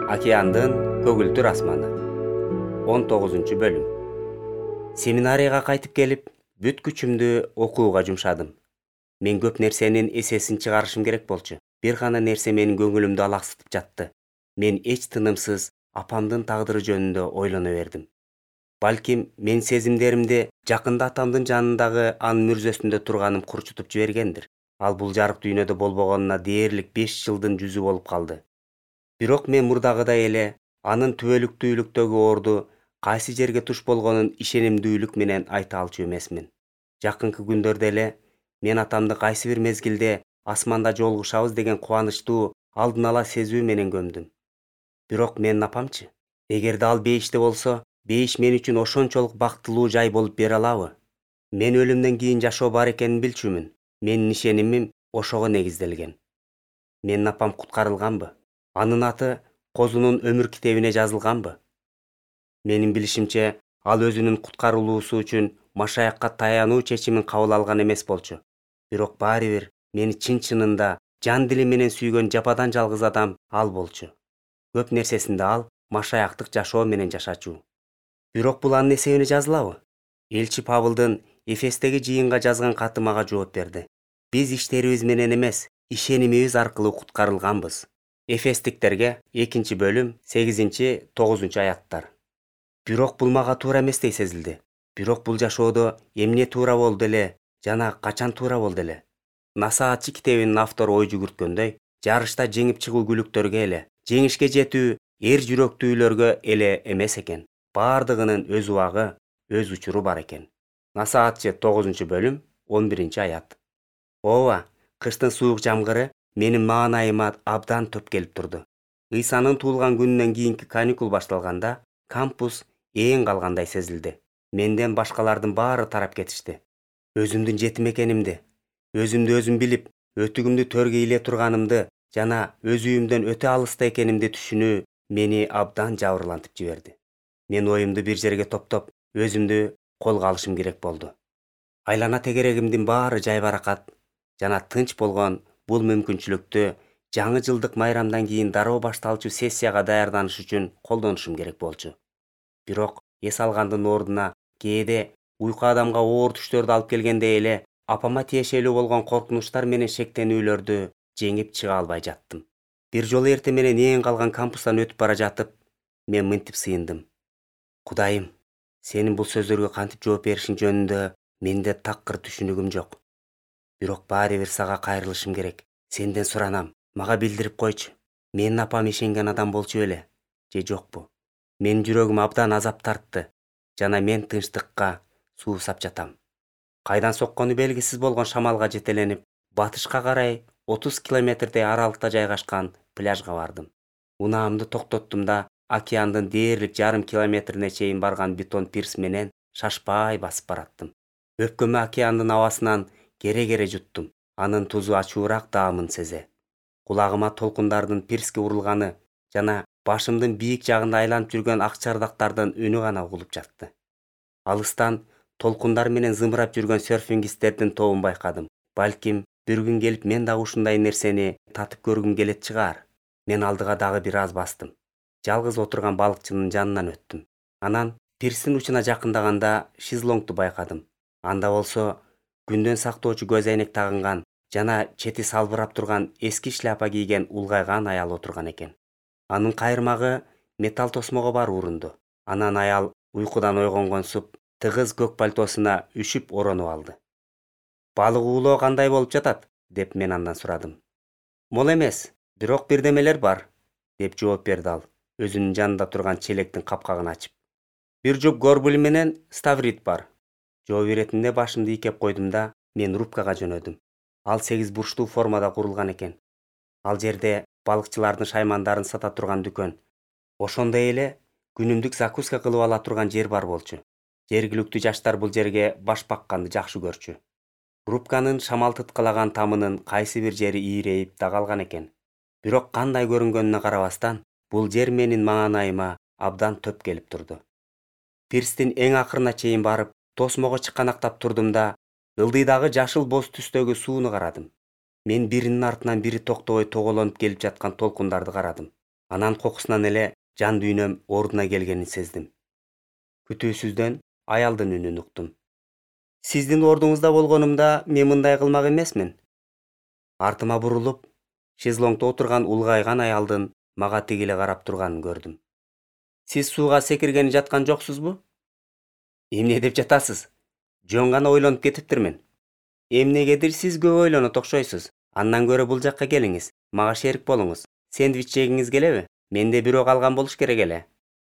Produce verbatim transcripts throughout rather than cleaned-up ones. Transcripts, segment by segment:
Океандын көгүлтүр асманы. он тогузунчу бөлүм. Семинарияга кайтып келип, бүт күчүмдү окууга жумшадым. Мен көп нерсенин эсесин чыгарышым керек болчу. Бир гана нерсе менин көңүлүмдү алаксытып жатты. Мен эч тынымсыз апамдын тагдыры жөнүндө ойлоно бердим. Балким мен сезимдеримди жакында атамдын жанындагы анын мүрзөсүндө турганым курчутуп жибергендир. Ал бул жарык дүйнөдө болбогонуна дээрлик беш жылдын жүзү болуп калды. Бирок мен мурдагыдай эле анын түбөлүктүүлүктөгү орду кайсы жерге туш болгонун ишенимдүүлүк менен айта алчу эмесмин. Жакынкы күндөрдө эле мен атамды кайсы бир мезгилде асманда жолугушабыз деген кубанычтуу алдын ала сезүү менен көмдүм. Бирок менин апамчы? Эгерде ал бейиште болсо, бейиш мен үчүн ошончолук бактылуу жай болуп бере алабы? Мен өлүмдөн кийин жашоо бар экенин билчүмүн. Менин ишенимим ошого негизделген. Менин апам куткарылганбы? Анын аты Козунун өмүр китебине жазылганбы? Менин билишимче, ал өзүнүн куткарылуусу үчүн машаякка таянуу чечимин кабыл алган эмес болчу. Бирок баары бир мени чын-чынында жан дили менен сүйгөн жападан жалгыз адам ал болчу. Көп нерсесинде ал машаяктык жашоо менен жашачу. Бирок бул анын эсебине жазылабы? Элчи Павылдын Эфестеги жыйынга жазган каты мага жооп берди. Биз иштерибиз менен эмес, ишенимибиз аркылуу куткарылганбыз. Эфестиктерге экинчи бөлүм сегизинчи тогузунчу аяттар. Бирок бул мага туура эместей сезилди. Бирок бул жашоодо эмне туура болду эле жана качан туура болду эле? Насаатчы китебинин автору ой жүгүрткөндөй, жарышта жеңип чыгуу күлүктөргө эле, жеңишке жетүү эр жүрөктүүлөргө эле эмес экен. Баардыгынын өз убагы, өз учуру бар экен. Насаатчы тогузунчу бөлүм он биринчи аят. Ооба, кыштын суук жамгыры менин маанайыма абдан топ келип турду. Ыйсанын туулган күнүнөн кийинки каникул башталганда кампус ээн калгандай сезилди. Менден башкалардын баары тарап кетишти. Өзүмдүн жетим экенимди, өзүмдү өзүм билип, өтүгүмдү төргөй эле турганымды жана өз үйүмдөн өтө алыста экенимди түшүнүү мени абдан жабырлантып жиберди. Мен оюмду бир жерге топтоп, өзүмдү колго алышым керек болду. Айлана тегерегимдин баары жайбаракат жана тынч болгон бул мүмкүнчүлүктү жаңы жылдык майрамдан кийин дароо башталчу сессияга даярданыш үчүн колдонушум керек болчу. Бирок эс алгандын ордуна кээде уйку адамга оор түштөрдү алып келгендей эле апама тиешелүү болгон коркунучтар менен шектенүүлөрдү жеңип чыга албай жаттым. Бир жолу эртең менен ээн калган кампустан өтүп бара жатып, мен мынтип сыйындым. Кудайым, сенин бул сөздөргө кантип жооп беришиң жөнүндө менде такыр түшүнүгүм жок. Бирок баары бир сага кайрылышым керек. Сенден суранам, мага билдирип койчу. Менин апам ишенген адам болчу беле же жокпу? Менин жүрөгүм абдан азап тартты жана мен тынчтыкка суусап жатам. Кайдан соккону белгисиз болгон шамалга жетеленип, батышка карай отуз километрдей аралыкта жайгашкан пляжга бардым. Унаамды токтоттум да океандын дээрлик жарым километрине чейин барган бетон пирс менен шашпай басып бараттым. Өпкөмө океандын абасынан кере-кере жуттум. Анын тузу ачуураак даамын сезе. Кулагыма толкундардын пирске урулганы жана башымдын бийик жагында айланып жүргөн ак чардактардын үнү гана угулуп жатты. Алыстан толкундар менен зымырап жүргөн серфингисттердин тобун байкадым. Балким бир күн келип мен дагы ушундай нерсени татып көргүм келет чыгар. Мен алдыга дагы бир аз бастым. Жалгыз отурган балыкчынын жанынан өттүм. Анан пирстин учуна жакындаганда шезлонгду байкадым. Анда болсо күндөн сактоочу көз айнек тагынган жана чети салбырап турган эски шляпа кийген улгайган аял отурган экен. Анын кайырмагы металл тосмого бар урунду. Анан аял уйкудан ойгонгонсуп тыгыз көк пальтосуна үшүп оронуп алды. Балык уулоо кандай болуп жатат? Деп мен андан сурадым. Мол эмес, бирок бирдемелер бар, деп жооп берди ал, өзүнүн жанында турган челектин капкагын ачып. Бир жуп горбули менен ставрит бар. Жооп иретинде башымды ийкеп койдум да мен рубкага жөнөдүм. Ал сегиз бурчтуу формада курулган экен. Ал жерде балыкчылардын шаймандарын сата турган дүкөн. Ошондой эле күнүмдүк закуска кылып ала турган жер бар болчу. Жергиликтүү жаштар бул жерге баш бакканды жакшы көрчү. Рубканын шамал тыткалаган тамынын кайсы бир жери ийрейип да калган экен. Бирок кандай көрүнгөнүнө карабастан, бул жер менин маанайыма абдан төп келип турду. Пирстин эң акырына чейин барып, тосмого чыканактап турдум да ылдыйдагы жашыл боз түстөгү сууну карадым. Мен биринин артынан бири токтобой тоголонуп келип жаткан толкундарды карадым. Анан кокусунан эле жан дүйнөм ордуна келгенин сездим. Күтүүсүздөн аялдын үнүн уктум. Сиздин ордуңузда болгонумда мен мындай кылмак эмесмин. Артыма бурулуп, шезлонгдо отурган улгайган аялдын мага тигиле карап турганын көрдүм. Сиз сууга секиргени жаткан жоксузбу? Эмне деп жатасыз? Жөн гана ойлонуп кетиптирмин. Эмнегедир сиз көп ойлонот окшойсуз. Андан көрө бул жакка келиңиз, мага шерик болуңуз. Сэндвич жегиңиз келеби? Менде бирөө калган болуш керек эле.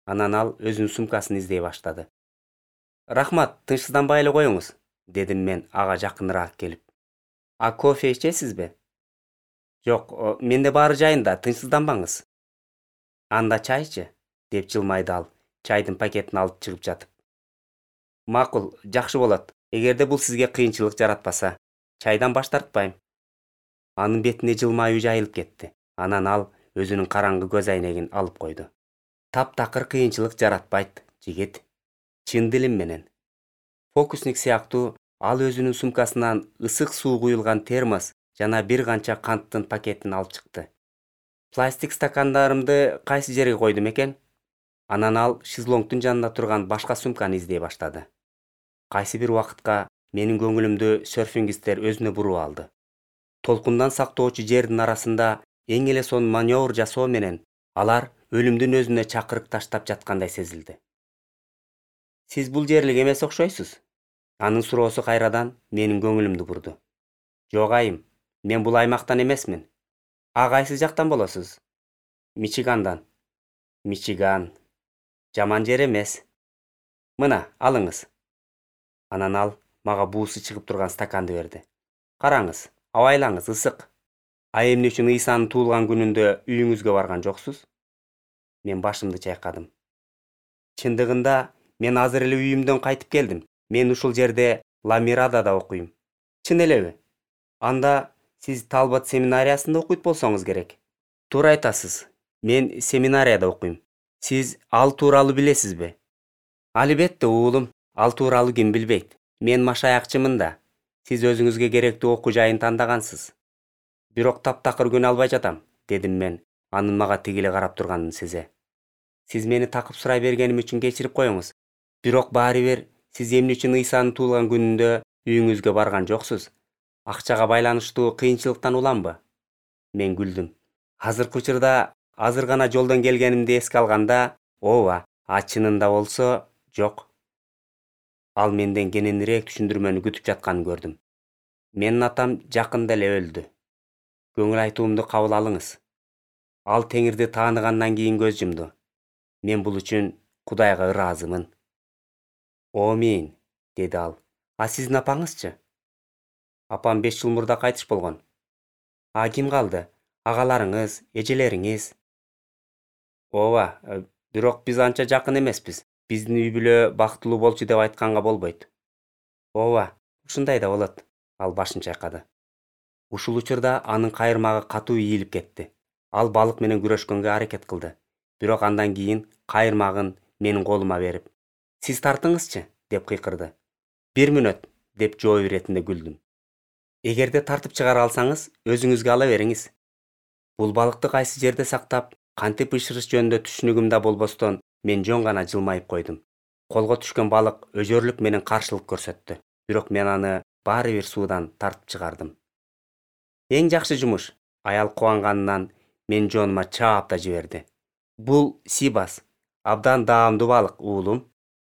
Анан ал өзүнүн сумкасын издей баштады. Рахмат, тынчсызданбай эле коюңуз, дедим мен ага жакыныраак келип. А кофе ичесизби? Жок, менде баары жайында, тынчсызданбаңыз. Анда чайчы, деп жылмайды ал, чайдын пакетин алып чыгып жатып. Макул, жакшы болот. Эгерде бул сизге кыйынчылык жаратпаса, чайдан баш тартпайм. Анын бетине жылмаюу жайылып кетти. Анан ал өзүнүн караңгы көз айнегин алып койду. Таптакыр кыйынчылык жаратпайт, жигит. Чын дилим менен. Фокусник сыяктуу ал өзүнүн сумкасынан ысык суу куюлган термос жана бир канча канттын пакетин алып чыкты. Пластик стакандарымды кайсы жерге койдум экен? Анан ал шезлонгдун жанында турган башка сумканы издей баштады. Кайсы бир убакытка менин көңүлүмдү серфингисттер өзүнө буруп алды. Толкундан сактоочу жердин арасында эң эле сонун маневр жасоо менен алар өлүмдүн өзүнө чакырык таштап жаткандай сезилди. Сиз бул жерлик эмес окшойсуз? Анын суроосу кайрадан менин көңүлүмдү бурду. Жок айым, мен бул аймактан эмесмин. А кайсы жактан болосуз? Мичигандан. Мичиган. Жаман жер эмес. Мына, алыңыз. Анан ал мага буусу чыгып турган стаканды берди. Караңыз, абайлаңыз, ысык. А эмне үчүн Ыйсанын туулган күнүндө үйүңүзгө барган жоксуз? Мен башымды чайкадым. Чындыгында мен азыр эле үйүмдөн кайтып келдим. Мен ушул жерде Ламирадада окуйм. Чын элеби? Анда сиз Талбот семинариясында окуйт болсоңуз керек. Туура айтасыз. Мен семинарияда окуйм. Сиз ал тууралуу билесизби? Албетте, уулум. Ал тууралуу ким билбейт. Мен машаякчымын да. Сиз өзүңүзгө керектүү окуу жайын тандагансыз. Бирок таптакыр көнө албай жатам, дедим мен, анын мага тигиле карап турганын сезе. Сиз мени такып сурай бергеним үчүн кечирип коюңуз. Бирок баары бир сиз эмне үчүн Ыйсанын туулган күнүндө үйүңүзгө барган жоксуз? Акчага байланыштуу кыйынчылыктан уламбы? Мен күлдүм. Азыркы учурда азыр гана жолдон келгенимди эске алганда, ооба, а чынында болсо, жок. Ал менден кененирээк түшүндүрмөнү күтүп жатканын көрдүм. Менин атам жакында эле өлдү. Көңүл айтуумду кабыл алыңыз. Ал Теңирди тааныгандан кийин көз жумду. Мен бул үчүн Кудайга ыраазымын. Омин, деди ал. А сиздин апаңызчы? Апам беш жыл мурда кайтыш болгон. А ким калды? Агаларыңыз, эжелериңиз? Ооба, бирок биз анча жакын эмеспиз. Биздин үй бүлө бактылуу болчу деп айтканга болбойт. Ооба, ушундай да болот. Ал башын чайкады. Ушул учурда анын кайырмагы катуу ийилип кетти. Ал балык менен күрөшкөнгө аракет кылды. Бирок андан кийин кайырмагын менин колума берип, "Сиз тартыңызчы", деп кыйкырды. "Бир мүнөт", деп жооп иретинде күлдүм. "Эгерде тартып чыгара алсаңыз, өзүңүзгө ала бериңиз. Бул балыкты кайсы жерде сактап, кантип бышырыш жөнүндө түшүнүгүм да болбостон, мен жөн гана жылмайып койдум. Колго түшкөн балык өжөрлүк менен каршылык көрсөттү. Бирок мен аны баары бир суудан тартып чыгардым. Эң жакшы жумуш. Аял кубанганынан мен жонума чаап да жиберди. Бул сибас. Абдан даамдуу балык, уулум.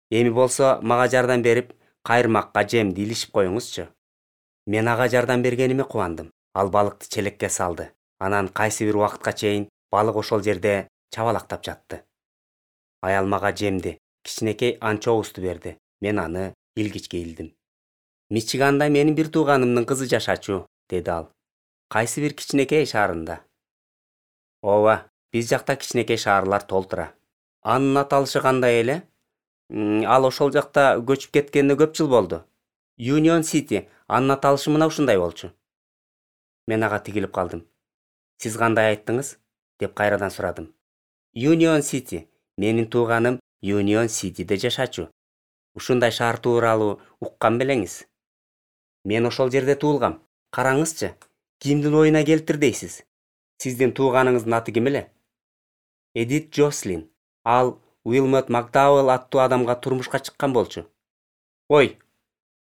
Эми болсо мага жардам берип, кайырмакка жемди илишип коюңузчу. Мен ага жардам бергениме кубандым. Ал балыкты челекке салды. Анан кайсы бир убакытка чейин балык ошол жерде чабалактап жатты. Аял мага жемди, кичинекей анчоусту берди. Мен аны илгичке илдим. "Мичиганда менин бир тууганымдын кызы жашачу", деди ал. "Кайсы бир кичинекей шаарында?" "Ооба, биз жакта кичинекей шаарлар толтура." "Анын аталышы кандай эле?" "Ал ошол жакта көчүп кеткенине көп жыл болду. Union City, анын аталышы мына ушундай болчу." Мен ага тигилип калдым. "Сиз кандай айттыңыз?" деп кайрадан сурадым. "Union City. Менин тууганым Union Cityде жашачу. Ушундай шаар тууралуу уккан белеңиз?" "Мен ошол жерде туулгам. Караңызчы, кимдин оюна келиптир дейсиз? Сиздин тууганыңыздын аты ким эле?" Эдит Джослин. Ал Уилмот Макдауэлл аттуу адамга турмушка чыккан болчу. Ой,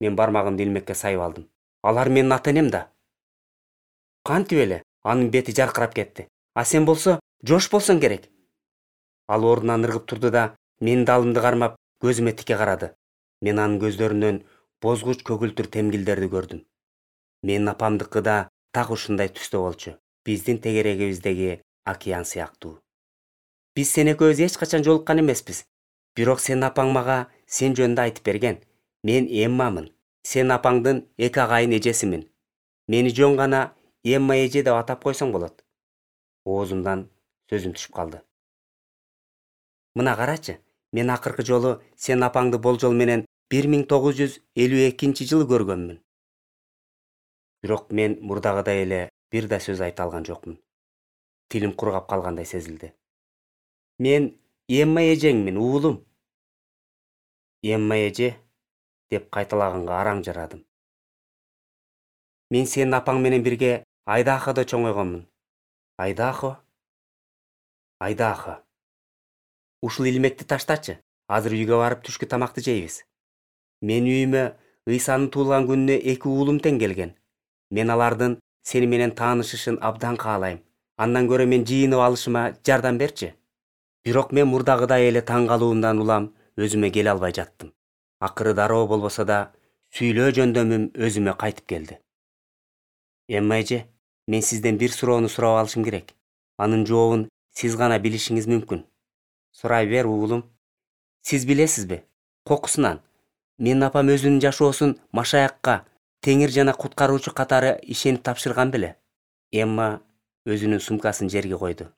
мен бармагымды илмекке сайып алдым. Алар менин ата-энем да. Кантип эле? Анын бети жаркырап кетти. А сен болсо, Жош болсоң керек. Ал ордунан ыргып турду да, менин далымды кармап, көзүмө тике карады. Мен анын көздөрүнөн бозгуч көгүлтүр темгилдерди көрдүм. Менин апамдыкы да так ушундай түстө болчу. Биздин тегерегибиздеги океан сыяктуу. Биз сен экөөбүз эч качан жолуккан эмеспиз. Бирок сенин апаң мага сен жөнүндө айтып берген. Мен Эммамын. Сен апаңдын эки агайын эжесимин. Мени жөн гана Эмма эже деп атап койсоң болот. Оозумдан сөзүм түшүп калды. Мына карачы, мен акыркы жолу сен апаңды болжол менен бир миң тогуз жүз элүү экинчи жылы көргөнмүн. Бирок мен мурдагыдай эле бир да сөз айта алган жокмун. Тилим кургап калгандай сезилди. Мен Эмма эжеңмин, уулум. Эмма эже деп кайталаганга араң жарадым. Мен сенин апаң менен бирге Айдаходо чоңойгонмун. Айдахо? Айдахо. Ушул илмекти таштачы. Азыр үйгө барып түшкү тамакты жейбиз. Мен үйүмө Ыйсанын туулган күнүнө эки уулум тең келген. Мен алардын сени менен таанышышын абдан каалайм. Андан көрө мен жыйынып алышыма жардам берчи. Бирок мен мурдагыдай эле таң калуумдан улам өзүмө келе албай жаттым. Акыры дароо болбосо да сүйлөө жөндөмүм өзүмө кайтып келди. Эмма эже, мен сизден бир суроону сурап алышым керек. Анын жообун сиз гана билишиңиз мүмкүн. Сурай бер, уулум. Сиз билесизби? Кокусунан менин апам өзүнүн жашоосун Машаякка, Теңир жана куткаруучу катары ишенип тапшырган беле? Эмма өзүнүн сумкасын жерге койду.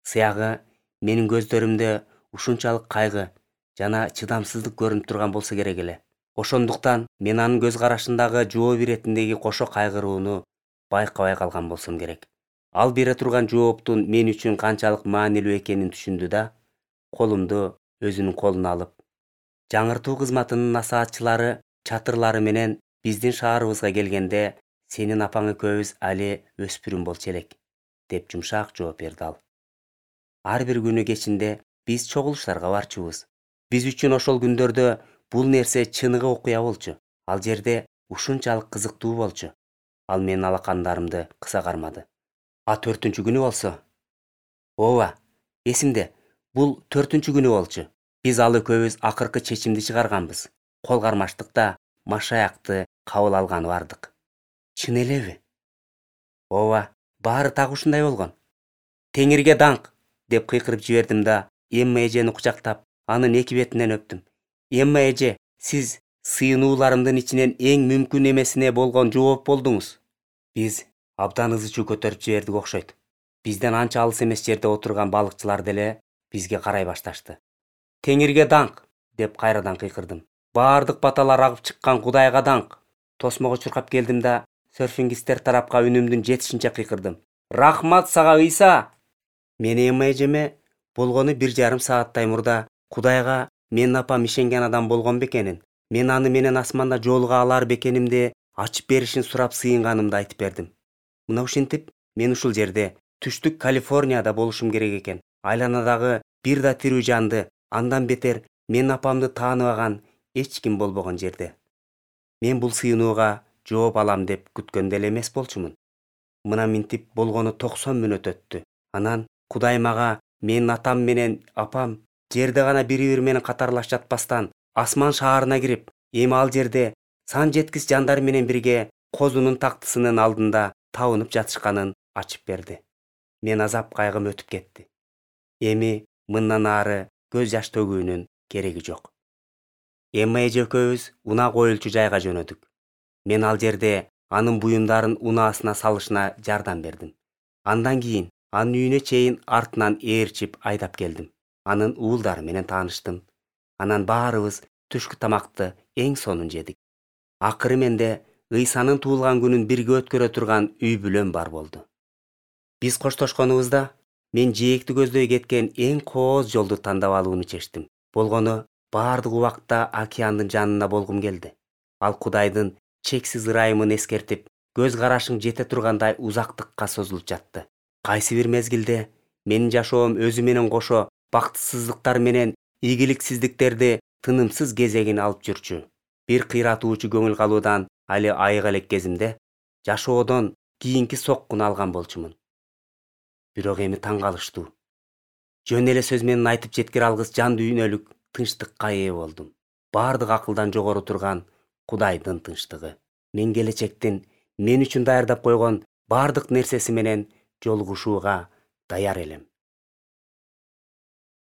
Сыягы менин көздөрүмдө ушунчалык кайгы жана чыдамсыздык көрүнүп турган болсо керек эле. Ошондуктан мен анын көз карашындагы жооп иретиндеги кошо кайгырууну байкабай калган болсом керек. Ал бере турган жооптун мен үчүн канчалык маанилүү экенин түшүндү да, колумду өзүнүн колуна алып, жаңыртуу кызматынын насаатчылары чатырлары менен биздин шаарыбызга келгенде сенин апаң экөөбүз али өспүрүм болчу элек, деп жумшак жооп берди ал. Ар бир күнү кечинде биз чогулуштарга барчубуз. Биз үчүн ошол күндөрдө бул нерсе чыныгы окуя болчу. Ал жерде ушунчалык кызыктуу болчу. Ал менин алакандарымды кыса кармады. А төртүнчү күнү болсо? Ооба, эсимде. Бул төртүнчү күнү болчу. Биз ал экөөбүз акыркы чечимди чыгарганбыз. Кол кармаштыкта Машаякты кабыл алганы бардык. Чын элеби? Ооба, баары так ушундай болгон. Теңирге даңк, деп кыйкырып жибердим да, Эмма эжени кучактап, анын эки бетинен өптүм. Эмма эже, сиз сыйынууларымдын ичинен эң мүмкүн эмесине болгон жооп болдуңуз. Биз абдан ызы чуу көтөрүп жибердик окшойт. Бизден анча алыс эмес жерде отурган балыкчылар деле бизге карай башташты. Теңирге даңк, деп кайрадан кыйкырдым. Баардык баталар агып чыккан Кудайга даңк. Тосмого чуркап келдим да, серфингисттер тарапка үнүмдүн жетишинче кыйкырдым. Рахмат сага, Ыйса! Мен Эмма эжеме болгону бир жарым сааттай мурда Кудайга менин апам ишенген адам болгон бекенин, мен аны менен асманда жолуга алар бекенимди ачып беришин сурап сыйынганымды айтып бердим. Мына ушинтип мен ушул жерде, түштүк Калифорнияда болушум керек экен. Айланадагы бир да тирүү жанды, андан бетер менин апамды тааныбаган эч ким болбогон жерде. Мен бул сыйынууга жооп алам деп күткөн деле эмес болчумун. Мына минтип болгону токсон мүнөт өттү. Анан Кудай мага менин атам менен апам жерде гана бири-бири менен катарлаш жатпастан асман шаарына кирип, эми ал жерде сан жеткис жандар менен бирге Козунун тактысынын алдында табынып жатышканын ачып берди. Мен азап кайгым өтүп кетти. Эми мындан ары көз жаш төгүүнүн кереги жок. Эмма эже экөөбүз унаа коюлчу жайга жөнөдүк. Мен ал жерде анын буюмдарын унаасына салышына жардам бердим. Андан кийин анын үйүнө чейин артынан ээрчип айдап келдим. Анын уулдары менен тааныштым. Анан баарыбыз түшкү тамакты эң сонун жедик. Акыры менде Ыйсанын туулган күнүн бирге өткөрө турган үй бүлөм бар болду. Биз коштошконубузда мен жээкти көздөй кеткен эң кооз жолду тандап алууну чечтим. Болгону баардык убакта океандын жанында болгум келди. Ал Кудайдын чексиз ырайымын эскертип, көз карашың жете тургандай узактыкка созулуп жатты. Кайсы бир мезгилде Менин жашоом өзү менен кошо бактысыздыктар менен ийгиликсиздиктерди тынымсыз кезегин алып жүрчү. Бир кыйратуучу көңүл калуудан али айык элек кезимде жашоодон кийинки соккуну алган болчумун. Бирок эми таң калыштуу. Жөн эле сөз менен айтып жеткире алгыс жан дүйнөлүк тынчтыкка ээ болдум. Бардык акылдан жогору турган Кудайдын тынчтыгы. Мен келечектин мен үчүн даярдап койгон бардык нерсеси менен жолугушууга даяр элем.